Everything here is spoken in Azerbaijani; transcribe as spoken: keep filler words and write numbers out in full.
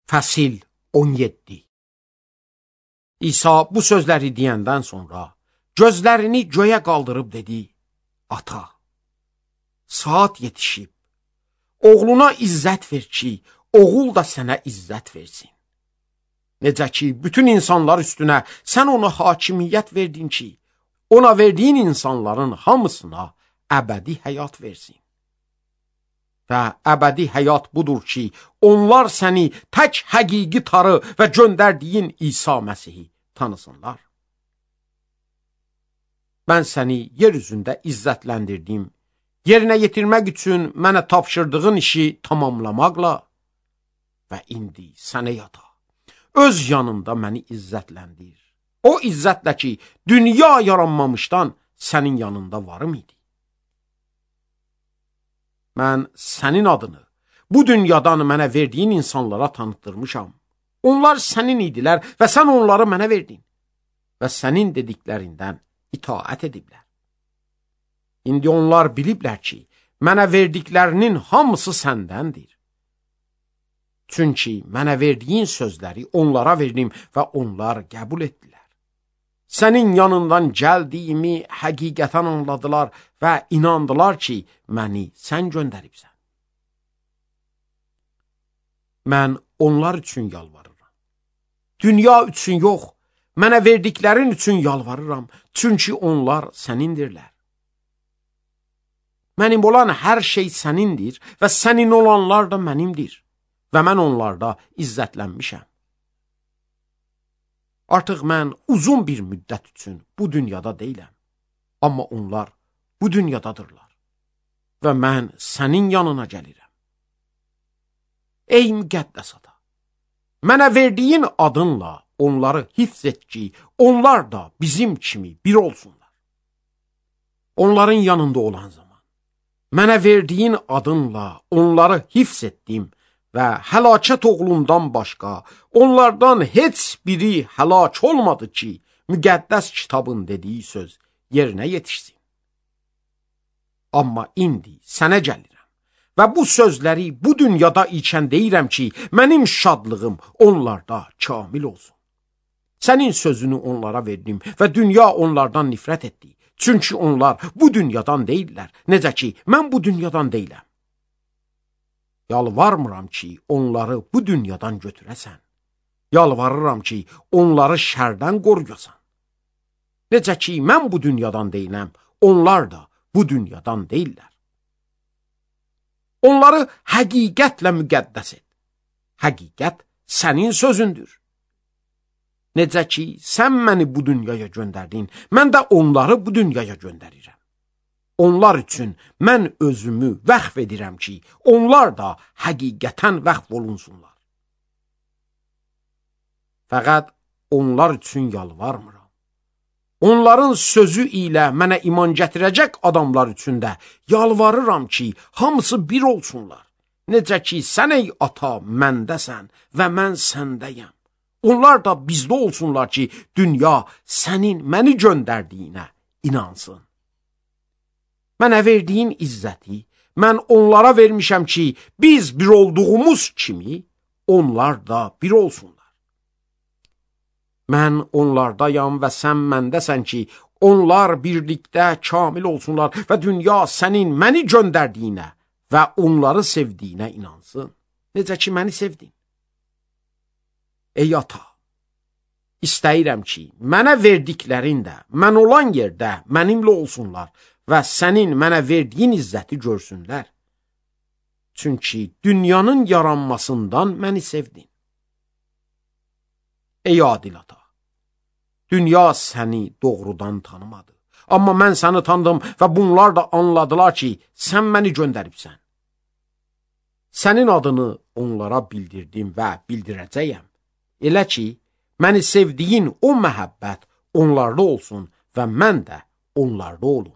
Fəsil on yeddi. İsa bu sözləri deyəndən sonra gözlərini göyə qaldırıb dedi: Ata, saat yetişib. Oğluna izzət ver ki, oğul da sənə izzət versin. Necə ki, bütün insanlar üstünə sən ona hakimiyyət verdin ki, ona verdiyin insanların hamısına əbədi həyat versin. Və əbədi həyat budur ki, onlar səni tək həqiqi tarı və göndərdiyin İsa Məsihi tanısınlar. Mən səni yer üzündə izzətləndirdim, yerinə yetirmək üçün mənə tapşırdığın işi tamamlamaqla və indi sənə yata, öz yanında məni izzətləndir. O izzətlə ki, dünya yaranmamışdan sənin yanında varım idi. Mən sənin adını bu dünyadan mənə verdiyin insanlara tanıtdırmışam. Onlar sənin idilər və sən onları mənə verdin və sənin dediklərindən itaət ediblər. İndi onlar biliblər ki, mənə verdiklərinin hamısı səndəndir. Çünki mənə verdiyin sözləri onlara verdim və onlar qəbul etdilər. Sənin yanından gəldiyimi həqiqətən anladılar və inandılar ki, məni sən göndəribsən. Mən onlar üçün yalvarıram. Dünya üçün yox, mənə verdiklərin üçün yalvarıram, çünki onlar sənindirlər. Mənim olan hər şey sənindir və sənin olanlar da mənimdir və mən onlarda izzətlənmişəm. Artıq mən uzun bir müddət üçün bu dünyada deyiləm, amma onlar bu dünyadadırlar və mən sənin yanına gəlirəm. Ey müqəddəs ata, mənə verdiyin adınla onları hifz et ki, onlar da bizim kimi bir olsunlar. Onların yanında olan zaman, mənə verdiyin adınla onları hifz etdim və həlakət oğlundan başqa onlardan heç biri həlak olmadı ki, müqəddəs kitabın dediyi söz yerinə yetişsin. Amma indi sənə gəlirəm və bu sözləri bu dünyada ikən deyirəm ki, mənim şadlığım onlarda kamil olsun. Sənin sözünü onlara verdim və dünya onlardan nifrət etdi. Çünki onlar bu dünyadan deyirlər, necə ki, mən bu dünyadan deyiləm. Yalvarmıram ki, onları bu dünyadan götürəsən. Yalvarıram ki, onları şərdən qoruyasan. Necə ki, mən bu dünyadan deyiləm, onlar da bu dünyadan deyirlər. Onları həqiqətlə müqəddəs et. Həqiqət sənin sözündür. Necə ki, sən məni bu dünyaya göndərdin, mən də onları bu dünyaya göndərirəm. Onlar üçün mən özümü vəqf edirəm ki, onlar da həqiqətən vəqf olunsunlar. Fəqət onlar üçün yalvarmıram. Onların sözü ilə mənə iman gətirəcək adamlar üçün də yalvarıram ki, hamısı bir olsunlar. Necə ki, sən ey ata məndəsən və mən səndəyəm. Onlar da bizdə olsunlar ki, dünya sənin məni göndərdiyinə inansın. Mənə verdiyin izzəti mən onlara vermişəm ki, biz bir olduğumuz kimi onlar da bir olsunlar. Mən onlardayam və sən məndəsən ki, onlar birlikdə kamil olsunlar və dünya sənin məni göndərdiyinə və onları sevdiyinə inansın. Necə ki, məni sevdin. Ey ata, istəyirəm ki, mənə verdiklərin də mən olan yerdə mənimlə olsunlar və sənin mənə verdiyin izzəti görsünlər. Çünki dünyanın yaranmasından məni sevdin. Ey adil ata, dünya səni doğrudan tanımadı. Amma mən səni tanıdım və bunlar da anladılar ki, sən məni göndəribsən. Sənin adını onlara bildirdim və bildirəcəyəm. Elə ki, məni sevdiyin o məhəbbət onlarda olsun və mən də onlarda olum.